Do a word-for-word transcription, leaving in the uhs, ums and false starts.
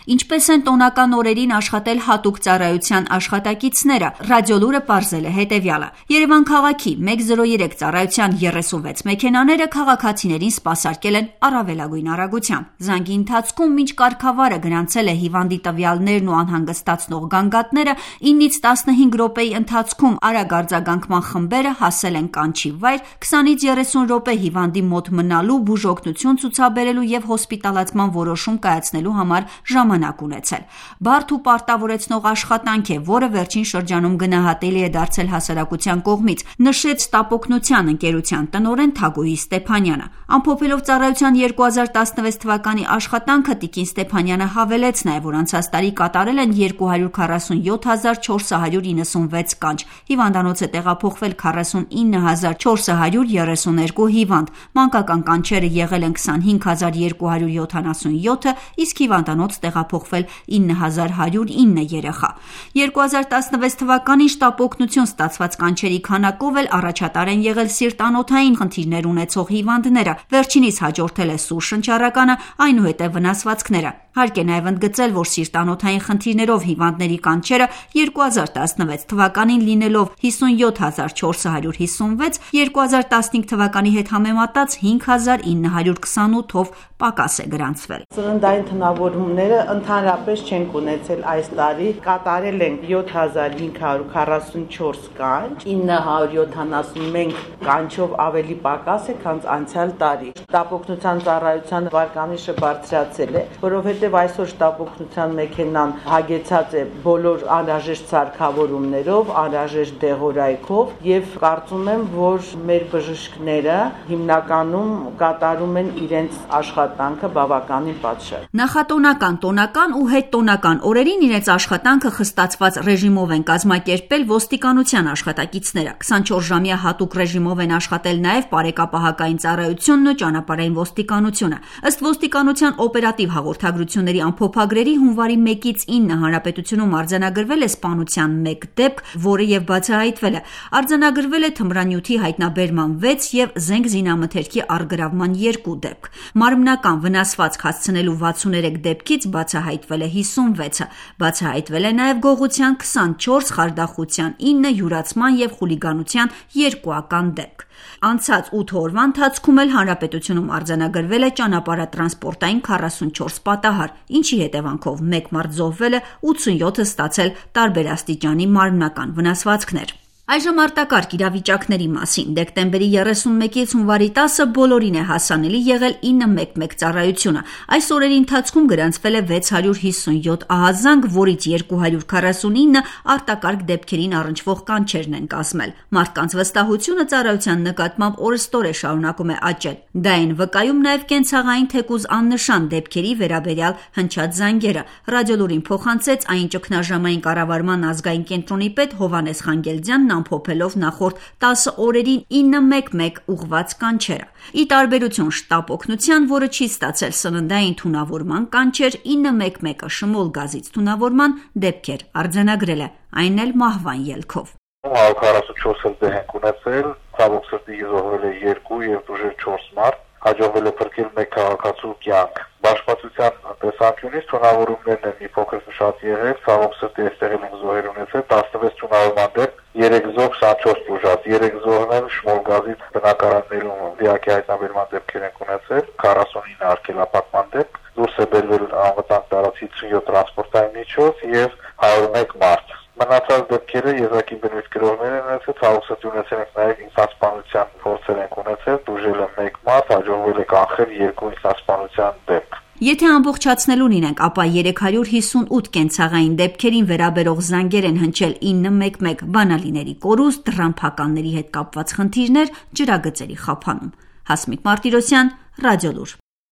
Ինչպես են տոնական օրերին աշխատել հատուկ ծառայության աշխատակիցները, Ռադիոլուրը պարզել է հետևյալը. Երևան քաղաքի մեկ զրո երեք ծառայության երեսունվեց մեքենաները քաղաքացիներին սպասարկել են առավելագույն արագությամբ։ Զանգի ընթացքում մինչ կարգավարը գրանցել է հիվանդի տվյալներն ու անհանգստացնող գանգատները, իննից տասնհինգ րոպեի ընթացքում արագ արձագանքման խմբերը հասել են կանչի վայր, քսանից երեսուն րոպե հիվանդի մոտ մնալու, բուժօգնություն ցուցաբերելու եւ հոսպիտալացման որոշում կայացնելու համար ժամանակ ունեցել։ Բարդ ու պարտավորեցնող աշխատանք է, որը վերջին շրջանում գնահատելի է դարձել հասարակության կողմից, նշեց Տապօգնության ընկերության տնօրեն Թագուհի Ստեփանյանը։ Ամփոփելով ծառայության երկու հազար տասնվեց թվականի աշխատանքը, տիկին Ստեփանյանը հավելեց նաև, որ անցած տարի կատարել են երկու հարյուր քառասունյոթ հազար չորս հարյուր իննսունվեց կանչ։ Հիվանդանոց է տեղափոխվել քառասունինը հազար չորս հարյուր երեսուներկու հիվանդ։ Մանկական կանչերը եղել են քսանհինգ հազար երկու հարյուր յոթանասունյոթը, իսկ հիվանդանոց տեղափոխվել ինը հազար հարյուր ինը երեխա։ երկու հազար տասնվեց թվականին Տապօգնություն ստացված կանչերի քանակով էլ առաջատար են եղել սիրտանոթային խնդիրներ ունեցող հիվանդները։ Վերջինիս հաջորդել է սուր շնչառականը, այնուհետև վնասվածքները։ Հարկ է նաև ընդգծել, որ սիրտանոթային խնդիրներով հիվանդների կանչերը երկու հազար տասնվեց թվականին լինելով հիսունյոթ հազար չորս հարյուր հիսունվեց, երկու հազար տասնհինգ թվականի հետ համեմատած հինգ հազար ինը հարյուր քսանութով պակաս է գրանցվել։ Ծննդային թունավորումները ընդհանրապես չենք ունեցել այս տարի, կատարել ենք յոթ հազար հինգ հարյուր քառասունչորս կանչ, ինը հարյուր յոթանասունմեկ կանչով ավելի պակաս է, քան անցյալ տարի։ Տապօգնության ծառայության վարկանիշը բարձրացել է, որովհետև այսօր Տապօգնության մեքենան հագեցած է բոլոր անհրաժեշտ սարքավորումներով, անհրաժեշտ դեղորայքով եւ կարծում եմ, որ մեր բժիշկները հիմնականում կատարում են իրենց աշխատանքը բավականին պատշաճ։ Նախատոնական, տոնական ու հետտոնական օրերին իրենց աշխատանքը խստացված ռեժիմով են կազմակերպել ոստիկանության աշխատակիցները։ քսանչորսժամյա հատուկ ռեժիմով են աշխատել նաև բարեկապահական ծառայությունն ու ճանապարհային ոստիկանությունը։ Ըստ ոստիկանության օպերատիվ հաղորդագրությունների ամփոփագրերի հունվարի մեկից ինը հանրապետությունում արձանագրվել է սպանության մեկ դեպք, որը եւ բացահայտվել է։ Արձանագրվել է թմրանյութի հայտնաբերման վեց եւ զենք զինամթերքի առգրավման երկու դեպք։ Մարմնական վնասվածք հասցնելու վաթսուներեք դեպքից բացահայտվել է հիսունվեցը։ Բացահայտվել է նաև գողության քսանչորս, խարդախության ինը, յուրացման եւ խուլիգանության երկուական դեպք։ Անցած ութ օրվա ընթացքում էլ հանրապետությունում արձանագրվել է ճանապարհատրանսպորտային քառասունչորս պատահար, ինչի հետևանքով մեկ մարդ զոհվել է, ութսունյոթը ստացել տարբեր աստիճանի մարմնական վնասվածքներ։ Այժմ արտակարգ իրավիճակների մասին։ Դեկտեմբերի երեսունմեկից հունվարի տասը բոլորին է հասանելի եղել ինը մեկ մեկ ծառայությունը։ Այս օրերի ընթացքում գրանցվել է վեց հարյուր հիսունյոթ ահազանգ, որից երկու հարյուր քառասունինը արտակարգ դեպքերին առնչվող կանչերն են կազմել։ Մարդկանց վստահությունը ծառայության նկատմամբ օրըստօր է շարունակում է աճել։ Դա են վկայում նաև կենցաղային թեկուզ աննշան դեպքերի վերաբերյալ հնչած զանգերը։ Ռադիոլուրին փոխանցեց այն ճգնաժամային կառավարման ազգային կենտրոնի պետ Հովհաննես Խանգելձյանն ամփոփելով նախորդ տասը օրերին ինը մեկ մեկ ուղղված կանչերը։ Ի տարբերություն Տապօգնության, որը չի ստացել սննդային թունավորման կանչեր, ինը մեկ մեկը շմոլ գազից թունավորման դեպքեր արձանագրել է, այն էլ մահվան ելքով։ հարյուր քառասունչորս դեպք ենք ունեցել, ցավոք սրտի զոհվել է երկու եւ դժեր չորս մարդ, հաջողվել է փրկել մեկ քաղաքացու կյանք։ Բաշխվածության տեսանկյունից թունավորումներն են մի փոքր շատ եղել, ցավոք սրտի այստեղ ենք զոհեր ունեցել, տասնվեց թունավորման դեպք, երեք զոհ, քսանչորս բուժած, երեք զոհն էլ շմոլ գազից բնակարաններում դիակի հայտնաբերման դեպքեր ենք ունեցել, քառասունինը արգելափակման դեպք, դուրս է բերվել անվտանգ տարածքից հիսունյոթ տրանսպորտային միջոց եւ հարյուր մեկ մարդ։ Մնացած դեպքերը եզակի բնույթ գրողներ են ունեցել, ցավոք սրտի ունեցել ենք նաև ինքնասպանության փորձեր ենք ունեցել, դուժել է մեկ մարդ, հաջողվել է կանխել երկու ինքնասպանության դեպք։ Եթե ամբողջացնելուն իրենք, ապա երեք հարյուր հիսունութ կենցաղային դեպքերին վերաբերող զանգեր են հնչել ինը մեկ մեկ, բանալիների կորուստ, դռամփականների հետ կապված խնդիրներ, ջրագծերի խափանում։ Հասմիկ Մարտիրոսյան, Ռադիոլուր։